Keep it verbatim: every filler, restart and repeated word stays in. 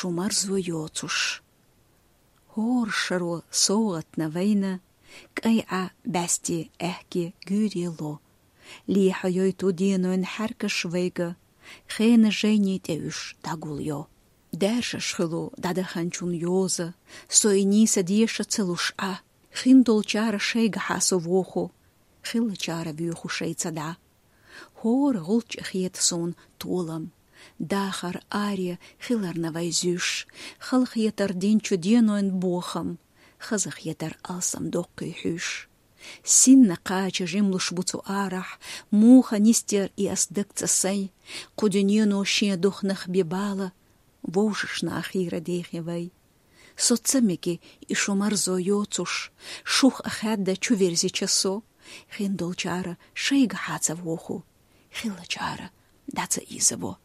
Шу марзо йоцуш. ХӀора шаро совгӀатна вайна, кӀай Ӏа бӀаьсте аьхке гуьйре ло. Лехьа йойту денойн хьаьркаш вайга, хенан жайни тӀе уьш дӀагулйо. Даьржаш хуьлу дӀадаханчун йоза, со и нийса деша ца луш Ӏа. Хиндолчара шайгахьа со воху, хиллачара вуьйху шайца дӀа. ХӀора гӀулча хета суна толам, дахар аре хиларна вай зуьйш, халахетар динчу денойн бохам, хазахетар алсам доккхий хьуьйш. Синна кхача жимлуш бу цу арахь, муха нисдер и ас дагца сай, кху дуьнено шен духнах бе бала, вовшашна хийра дехи вай. Со ца меги и шу марзо йоцуш, шух а хаьдда чу верзича со, хиндолчара шайгахьа ца воху, хиллачара дӀа ца изаво.